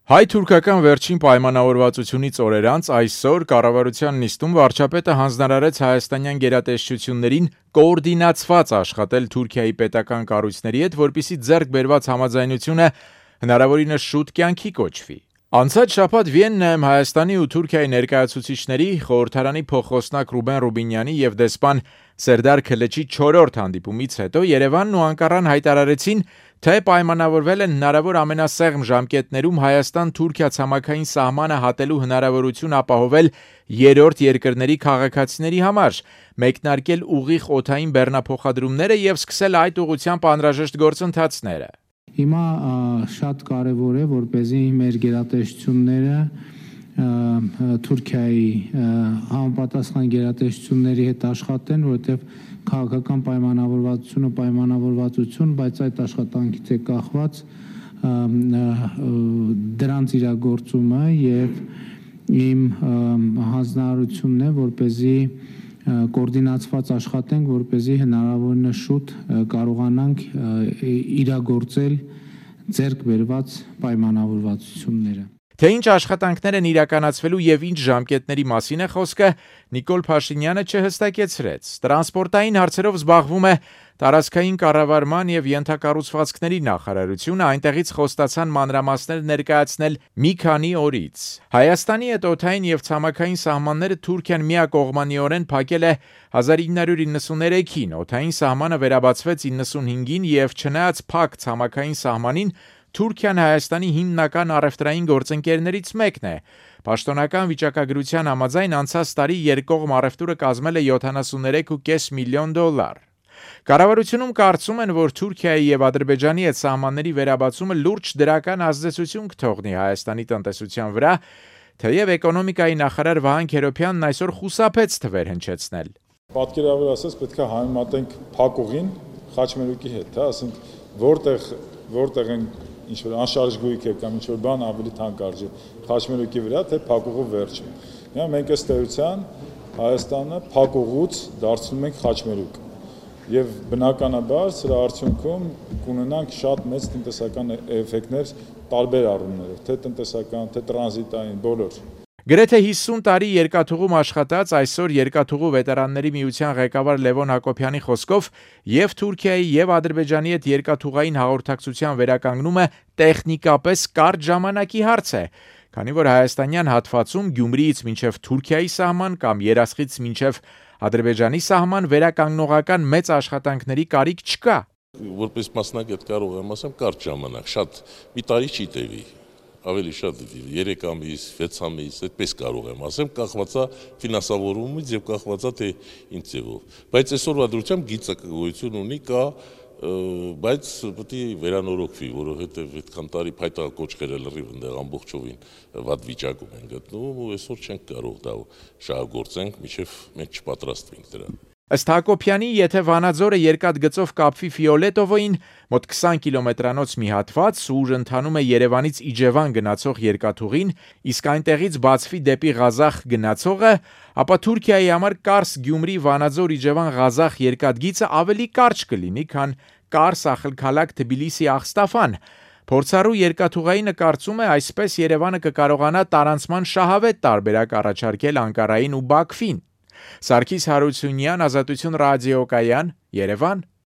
Հայ-թուրքական վերջին պայմանավորվածությունից օրեր անց այսօր կառավարության նիստում վարչապետը հանձնարարեց հայաստանյան գերատեսչություններին կոորդինացված աշխատել Թուրքիայի պետական կառույցների հետ, որպեսզի ձեռք բերված համաձայնությունը հնարավորինս շուտ կյանքի կոչվի։ Անցած շաբաթ Վիեննայում Հայաստանի ու Թուրքիայի ներկայացուցիչների, խորհրդարանի փոխխոսնակ Ռուբեն Ռուբինյանի և դեսպան Սերդար Քլեչի 4-րդ հանդիպումից հետո Երևանն ու Անկարան հայտարարեցին, թե պայմանավորվել են հնարավոր ամենասեղմ ժամկետներում Հայաստան-Թուրքիա ցամաքային սահմանը հատելու հնարավորություն ապահովել երրորդ երկրների քաղաքացիների համար, մեկնարկել ուղիղ օդային բեռնափոխադրումները և սկսել այդ ուղղությամբ անհրաժեշտ գործընթացները։ Հիմա շատ կարևոր է, որպեսզի մեր գերատեսչությունները Թուրքիայի համապատասխան գերատեսչությունների հետ աշխատեն, որովհետև քաղաքական պայմանավորվածություն, բայց այդ աշխատանքից է կախված դրանց իրագործումը եւ իմ հանձնարարությունն է, որպեսզի կոորդինացված աշխատենք, որպեսզի հնարավորինս շուտ կարողանանք իրագործել ձեռք բերված պայմանավորվածությունները։ Թե ինչ աշխատանքներ են իրականացվելու եւ ինչ ժամկետների մասին է խոսքը, Նիկոլ Փաշինյանը չհստակեցրեց։ Տրանսպորտային հարցերով զբաղվում է տարածքային կառավարման եւ ենթակառուցվածքների նախարարությունը, այնտեղից խոստացան մանրամասներ ներկայացնել մի քանի օրից։ Հայաստանի հետ օդային եւ ցամաքային սահմանները Թուրքիան միակողմանիորեն փակել է 1993-ին, օդային սահմանը վերաբացվեց 95-ին եւ չնայած փակ ցամաքային սահմանին Թուրքիան Հայաստանի հիմնական առևտրային գործընկերներից մեկն է։ Պաշտոնական վիճակագրության համաձայն անցած տարի երկկողմ առևտուրը կազմել է $73.5 միլիոն։ Կառավարությունում կարծում են, որ Թուրքիայի եւ Ադրբեջանի հետ սահմանների վերաբացումը լուրջ դրական ազդեցություն կթողնի Հայաստանի տնտեսության վրա, թեև էկոնոմիկայի նախարար Վահան Քերոբյանն այսօր խուսափեց թվեր հնչեցնել։ Պատկերավոր ասած պետք է համեմատենք փակուղին խաչմերուկի հետ, ասենք որտեղ են ինչ-որ անշարժ գույք է կամ ինչ-որ բան ավելի թանկ արժի խաչմերուկի վրա, թե փակուղու վերջը։ Հիմա մենք ըստ էության Հայաստանը փակուղուց դարձնում ենք խաչմերուկ։ Եվ բնականաբար սրա արդյունքում կունենանք շատ մեծ տնտեսական էֆեկտներ տարբեր առումներով, թե տնտեսական, թե տրանզիտային, բոլոր։ Գրեթե 50 տարի երկաթուղում աշխատած այսօր Երկաթուղու վետերանների միության ղեկավար Լևոն Հակոբյանի խոսքով եւ Թուրքիայի եւ Ադրբեջանի հետ երկաթուղային հաղորդակցության վերականգնումը տեխնիկապես կարճ ժամանակի հարց է, քանի որ հայաստանյան հատվածում Գյումրիից մինչև Թուրքիայի սահման կամ Երասխից մինչև Ադրբեջանի սահման վերականգնողական մեծ աշխատանքների կարիք չկա։ Որպես մասնագետ կարող եմ ասեմ կարճ ժամանակ, շատ մի տարի չի տևի։ Ավելի շատ 3 ամիս, 6 ամիս, այդպես կարող եմ ասեմ, կախվածա ֆինանսավորումից եւ կախվածա թե ինչ ձևով։ Բայց այսօրվա դրությամբ գիծը գոյություն ունի, կա, բայց պետք է վերանորոգվի, որովհետեւ այդքան տարի փայտակոճղերը լրիվ այնտեղ ամբողջովին վատ վիճակում են գտնվում ու այսօր չենք կարող դա շահագործենք, մինչեւ մենք չպատրաստվենք դրան։ Ըստ Հակոբյանի, եթե Վանաձորը երկաթգծով կապվի Ֆիոլետովոյին, մոտ 20 կիլոմետրանոց մի հատված, ուր ընթանում է Երևանից Իջևան գնացող երկաթուղին, իսկ այնտեղից բացվի դեպի Ղազախ գնացողը, ապա Թուրքիայի համար Կարս-Գյումրի-Վանաձոր-Իջևան-Ղազախ երկաթգիծը ավելի կարճ կլինի, քան Կարս-Ախալքալաք-Թբիլիսի-Աղստաֆան։ Փորձառու երկաթուղայինը կարծում է, այսպես Երևանը կկարողանա տարանցման շահավետ տարբերակ առաջարկել Անկարային ու Բաքվին։ Սարգիս Հարությունյան, Ազատություն ռադիոկայան, Երևան։